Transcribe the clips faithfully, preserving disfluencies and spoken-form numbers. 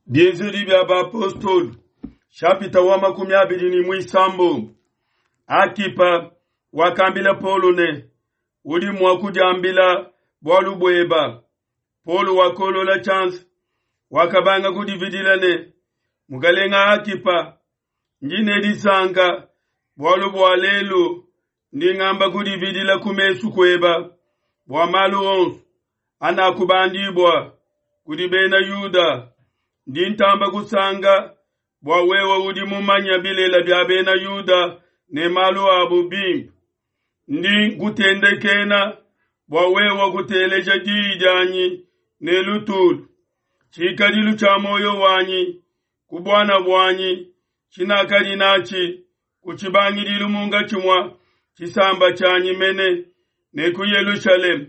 Bienzedi bia Bapostolo, shapita wa makumi abidi ne muisambombo. Akipa wakambila Paulo ne, udi mua kudiambila bualu bueba. Paulo wakolola tshianza, wakabanga kudividila ne, Mukalenga Akipa, ndi ne disanka bualu bua lelu ndi ngamba kudividila ku mesu kueba bua malu onso anakubandibua kudi bena Yuda. Ndi ntamba kusanka bua wewe udi mumanya bilela bia bena Yuda ne malu abu bimpe. Ndi nkutendekena bua wewe kuteleja diyi dianyi ne lutulu. Tshikadilu tshia moyo wanyi ku buana buanyi tshinakadi natshi ku tshibangidilu munkatshi mua tshisamba tshianyi mene ne ku Yelushalema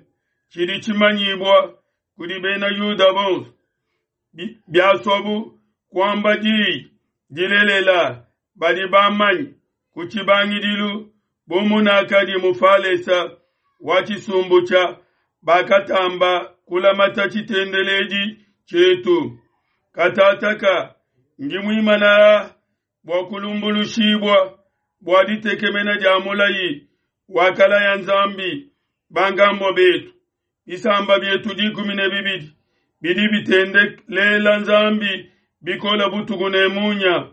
tshidi tshimanyibua kudi bena Yuda bonso. Biasobu kuamba diyi dilelela badi bamanye ku tshibangidilu bu munakadi mufalesa wa tshisumbu tshia bakatamba kulamata tshitendeledi tshietu. Katataka ndi muimana bua kulumbulushibua bua ditekemena dia mulayi wakalaya Nzambi bankambua betu. Bisamba bietu dikumi ne bibidi bidi bitendelela Nzambi bikola butuku ne munya,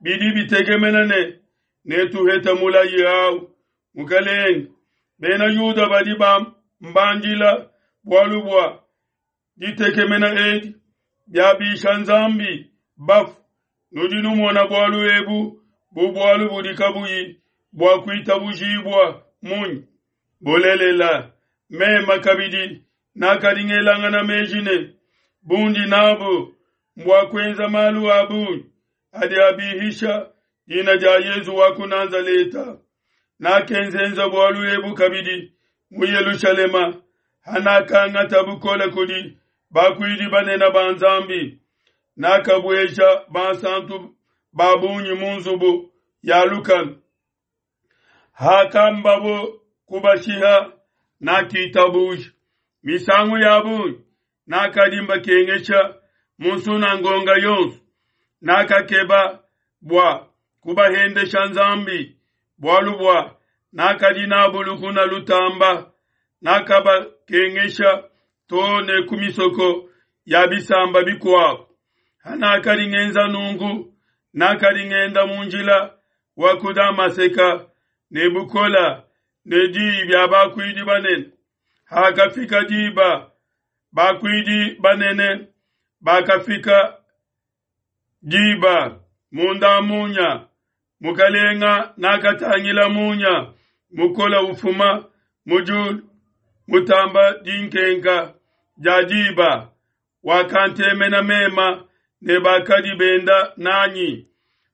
bidi bitekemena ne netuheta mulayi awu. Mukalenge, bena Yuda badi bambandila bualu bua ditekemena edi biabisha Nzambi bafu. Nudi numona bualu ebu bu bualu budi kabuyi bua kuitabujibua munyi? Bulelela, mema kabidi nakadi ngelangana meji ne bundi nabu mbua kuenza malu a bungi adi abihisha dina dia Yezu wa ku Nazaleta. Nakenzenza bualu ebu kabidi mu Yelushalema, hanakangata bukole kudi bakuidi banene ba Nzambi. Nakabueja bansantu ba bungi mu nzubu ya lukanu. Hakambabo kubashiha, nakitabuja. Misangu ya bungi nakadi mbakengesha mu nsunangonga yonso. Nakakeba bua kubahendesha Nzambi, bualu bua nakadi nabu lukuna lutamba. Nakabakengesha too ne ku misoko ya bisamba bikuabu. Hanakadi ngenza nunku, nakadi ngenda mu njila wa ku Damaseka ne bukola ne diyi bia bakuidi banene. Hakafika diba, bakuidi banene bakafika diba munda munya. Mukalenga nakatangila munya mukola ufuma mu diulu mutamba dinkenka dia diba, wakantemena mema ne bakadi benda nanyi.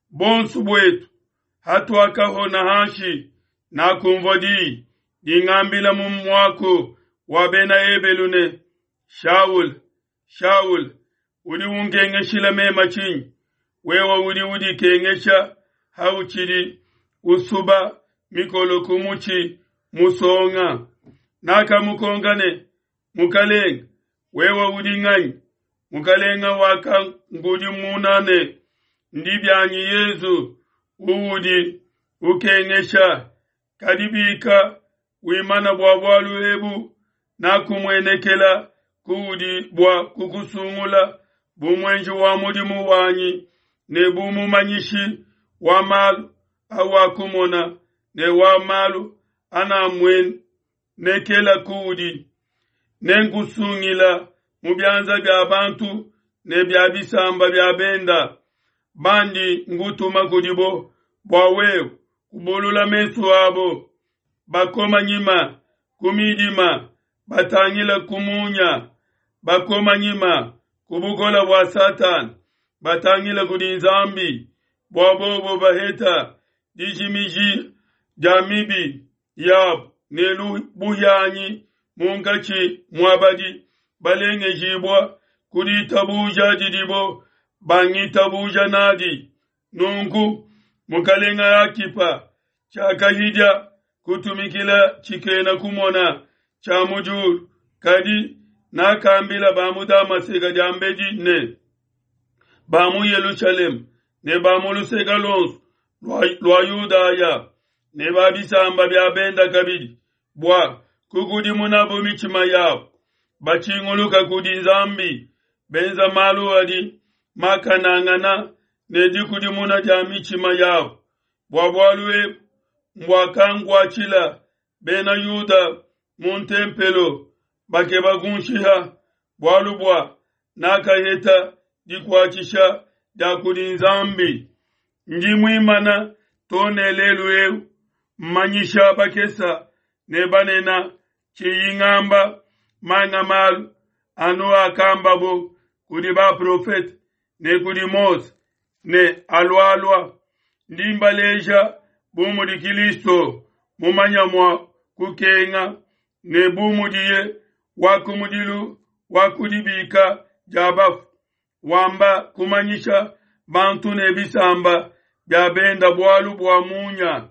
Bonso buetu hatuakahona hanshi, nakumvua diyi dingambila mu muaku wa bena Ebelu ne, Shaul, Shaul, udi unkengeshila mema tshinyi? Wewe udi udikengesha hautshidi usuba mikolo ku mutshi musonga. Nakamukonka ne, Mukalenge, wewe udi nganyi? Mukalenge wakangudimuna ne, Ndi bianyi Yezu uudi ukengesha. Kadi bika wimana bua bualu ebu, nakumuenekela kuudi bua kukusungula bu muenji wa mudimu wanyi ne bu mumanyishi wa malu awakumona ne wa malu anamuenekela kuudi. Nenkusungila mu bianza bia bantu ne bia bisamba bia benda bandi ngutuma kudibo bua wewe kubulula mesu abo bakoma nyima ku midima batangila ku munya, bakoma nyima ku bukola bua Satana batangila kudi Nzambi, bua bobo baheta dijimiji dia mibi yabo ne buhianyi munkatshi mua badi balengejibua ku ditabuja didibo bangitabuja nadi. Nunku Mukalenga Akipa tshiakahidia kutumikila tshikena kumona tshia mu diulu, kadi nakambila ba mu Damaseka diambedi ne, ba mu Yelushalema ne ba mu luseke luonso lua Yudaya ne ba bisamba bia benda kabidi, bua kukudimunabo mitshima yabo, batshinguluka kudi Nzambi, benza malu adi makanangana ne dikudimuna dia mitshima yabo. Bua bualu ebu mbuakankuatshila bena Yuda mu ntempelo, bakeba kunshiha, bualu bua nakaheta dikuatshisha dia kudi Nzambi. Ndi muimana to ne lelu eu, mmanyisha bakesa ne banena, tshiyi ngamba manga malu anu akambabo kudi baprofete ne kudi Mose ne alualua. Ndi mbaleja bu mudi Kilisto mumanya mua kukenga ne bu mudiye wa kumudilu wa kudibika dia bafu, wamba kumanyisha bantu ne bisamba bia benda bualu bua munya.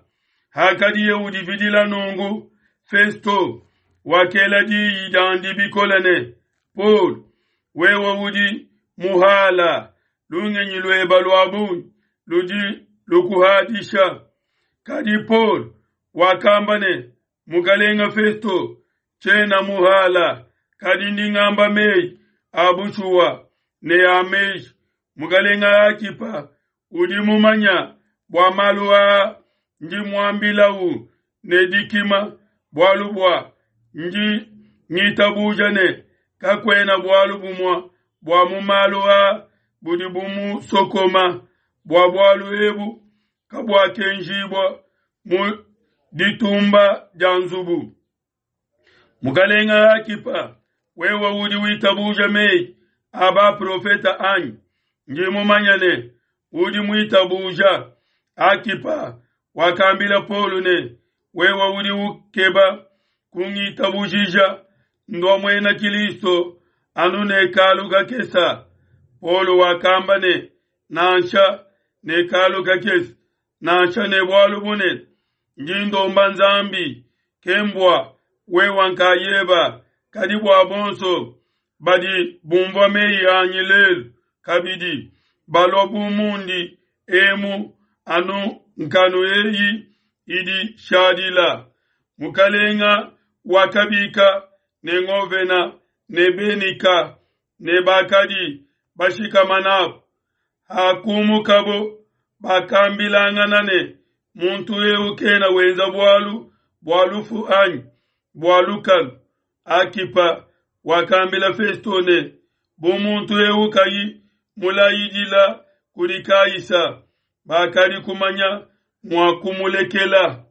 Hakadiye udividila nungu, Festo wakela diyi diandi bikole ne, Paul, wewe udi muhala, lungenyi lueba lua bungi ludi lukuhadisha. Kadi Paul wakamba ne, Mukalenga Festo, tshiena muhala, kadi ndi ngamba meyi a bushuwa ne a meji. Mukalenga Akipa udi mumanya bua malu aa, ndi muambilawu ne dikima, bualu bua ndi ngitabuja ne kakuena bualu bumue bua mu malu aa budi bumusokoma, bua bualu ebu kabuakenjibua mu ditumba dia nzubu. Mukalenga Akipa, wewe udi witabuja meyi a baprofeta anyi? Ndi mumanya ne udi muitabuja. Akipa wakambila Paulo ne, wewe udi ukeba kungitabujija ndua muena Kilisto anu ne kalu kakesa. Paulo wakamba ne, nansha ne kalu kakesa, nansha ne bualu bunene, ndi ndomba Nzambi, kembua wewe nkayeba, kadi bua bonso badi bumvua meyi anyi lelu kabidi balua bu mundi emu anu nkanu eyi idi shadila. Mukalenga wakabika ne ngovena ne Benika ne bakadi bashikama nabo. Hakumukabo bakambilangana ne, muntu eu kena wenza bualu bua lufu anyi bua lukanu. Akipa wakambila Festo ne, bu muntu eu kayi mulayidila kudi Kaisa, bakadi kumanya mua kumulekela.